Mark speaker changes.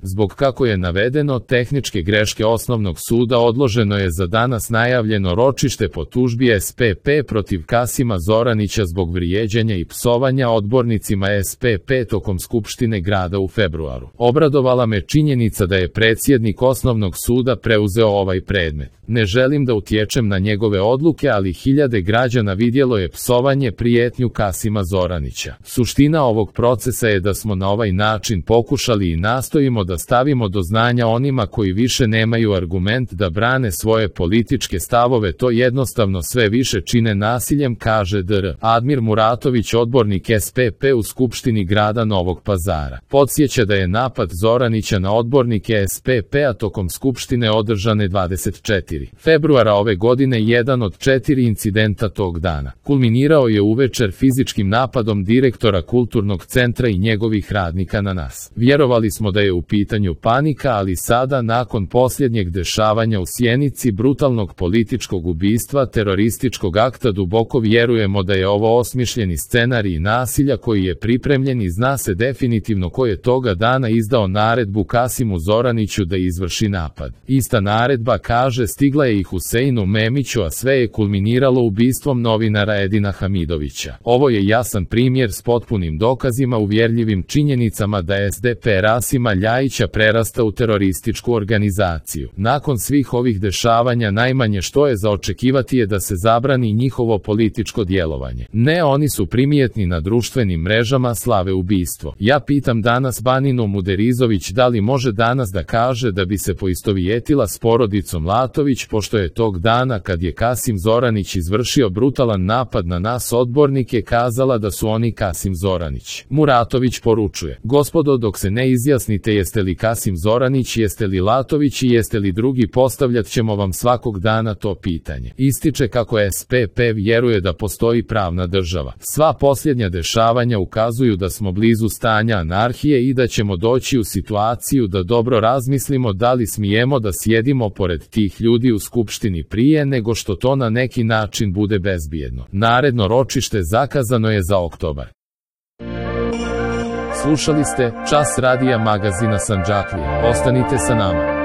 Speaker 1: Zbog, kako je navedeno, tehničke greške Osnovnog suda odloženo je za danas najavljeno ročište po tužbi SPP protiv Kasima Zoranića zbog vrijeđanja i psovanja odbornicima SPP tokom Skupštine grada u februaru. Obradovala me činjenica da je predsjednik Osnovnog suda preuzeo ovaj predmet. Ne želim da utječem na njegove odluke, ali hiljade građana vidjelo je psovanje, prijetnju Kasima Zoranića. Suština ovog procesa je da smo na ovaj način pokušali i nastojimo da stavimo do znanja onima koji više nemaju argument da brane svoje političke stavove, to jednostavno sve više čine nasiljem, kaže dr. Admir Muratović, odbornik SPP u Skupštini grada Novog Pazara. Podsjeća da je napad Zoranića na odbornike SPP-a tokom Skupštine održane 24. februara ove godine jedan od 4 incidenta tog dana. Kulminirao je uvečer fizičkim napadom direktora kulturnog centra i njegovih radnika na nas. Vjerovali smo da je u pitanju panika, ali sada, nakon posljednjeg dešavanja u Sjenici, brutalnog političkog ubistva, terorističkog akta, duboko vjerujemo da je ovo osmišljeni scenarij nasilja koji je pripremljen i zna se definitivno ko je toga dana izdao naredbu Kasimu Zoraniću da izvrši napad. Ista naredba, kaže, stigla je i Huseinu Memiću, a sve je kulminiralo ubistvom novinara Edina Hamidovića. Ovo je jasan primjer s potpunim dokazima, uvjerljivim činjenicama da SDP Rasima Ljajića prerasta u terorističku organizaciju. Nakon svih ovih dešavanja najmanje što je za očekivati je da se zabrani njihovo političko djelovanje. Ne, oni su primijetni na društvenim mrežama, slave ubistvo. Ja pitam danas Baninu Muderizović da li može danas da kaže da bi se poistovjetila s porodicom Latović, pošto je tog dana kad je Kasim Zoranić izvršio brutalan napad na nas odbornike kazala da su oni Kasim Zoranić. Muratović poručuje: gospodo, dok se ne izjasnite jeste li Kasim Zoranić, jeste li Latović i jeste li drugi, postavljat ćemo vam svakog dana to pitanje. Ističe kako SPP vjeruje da postoji pravna država. Sva posljednja dešavanja ukazuju da smo blizu stanja anarhije i da ćemo doći u situaciju da dobro razmislimo da li smijemo da sjedimo pored tih ljudi u Skupštini prije nego što to na neki način bude bezbjedno. Naredno ročište zakazano je za oktobar. Slušali ste Čas radija magazina Sandžaklija. Ostanite sa nama.